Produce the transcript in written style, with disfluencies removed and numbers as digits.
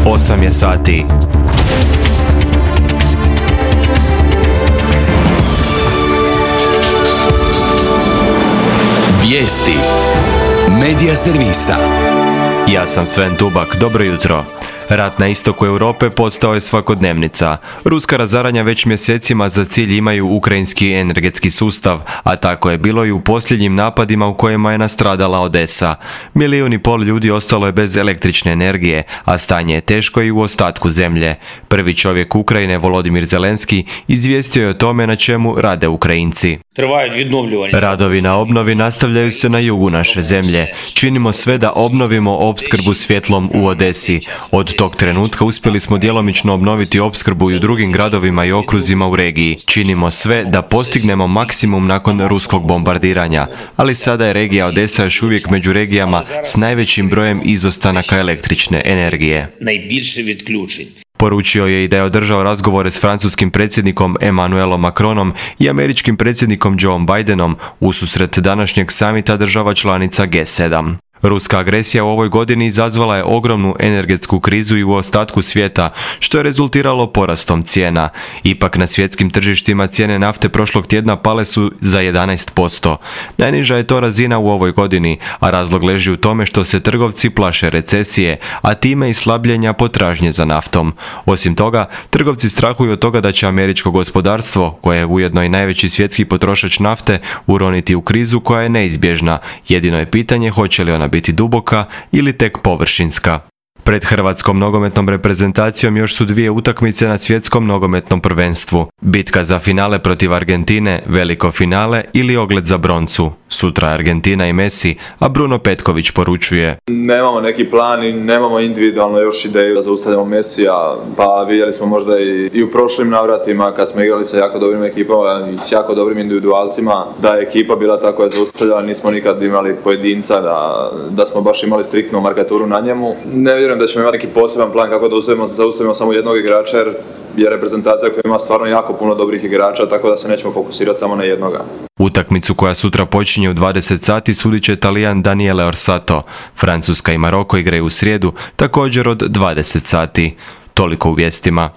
8 je sati. Vijesti Medija servisa. Ja sam Sven Tubak, dobro jutro. Rat na istoku Europe postao je svakodnevnica. Ruska razaranja već mjesecima za cilj imaju ukrajinski energetski sustav, a tako je bilo i u posljednjim napadima u kojima je nastradala Odesa. 1,5 milijuna ljudi ostalo je bez električne energije, a stanje je teško i u ostatku zemlje. Prvi čovjek Ukrajine, Volodimir Zelenski, izvijestio je o tome na čemu rade Ukrajinci. Radovi na obnovi nastavljaju se na jugu naše zemlje. Činimo sve da obnovimo opskrbu svjetlom u Odesi. Od tog trenutka uspjeli smo djelomično obnoviti opskrbu i u drugim gradovima i okruzima u regiji. Činimo sve da postignemo maksimum nakon ruskog bombardiranja, ali sada je regija Odesa još uvijek među regijama s najvećim brojem izostanaka električne energije. Poručio je i da je održao razgovore s francuskim predsjednikom Emmanuelom Macronom i američkim predsjednikom Joe Bidenom ususret današnjeg samita država članica G7. Ruska agresija u ovoj godini izazvala je ogromnu energetsku krizu i u ostatku svijeta, što je rezultiralo porastom cijena. Ipak na svjetskim tržištima cijene nafte prošlog tjedna pale su za 11%. Najniža je to razina u ovoj godini, a razlog leži u tome što se trgovci plaše recesije, a time i slabljenja potražnje za naftom. Osim toga, trgovci strahuju od toga da će američko gospodarstvo, koje je ujedno i najveći svjetski potrošač nafte, uroniti u krizu koja je neizbježna. Jedino je pitanje hoće li ona biti duboka ili tek površinska. Pred hrvatskom nogometnom reprezentacijom još su 2 utakmice na svjetskom nogometnom prvenstvu. Bitka za finale protiv Argentine, veliko finale ili ogled za broncu. Sutra Argentina i Messi, a Bruno Petković poručuje: nemamo neki plan i nemamo individualno još ideju da zaustavljamo Messija, pa vidjeli smo možda i u prošlim navratima kad smo igrali sa jako dobrim ekipama i s jako dobrim individualcima, da je ekipa bila tako je zaustavljala, nismo nikad imali pojedinca da smo baš imali striktnu markaturu na njemu. Ne vjerujem da ćemo imati neki poseban plan kako da zaustavimo samo jednog igrača, jer je reprezentacija koja ima stvarno jako puno dobrih igrača, tako da se nećemo fokusirati samo na jednoga. Utakmicu koja sutra počinje u 20 sati sudit će Talijan Daniele Orsato. Francuska i Maroko igraju u srijedu, također od 20 sati. Toliko u vijestima.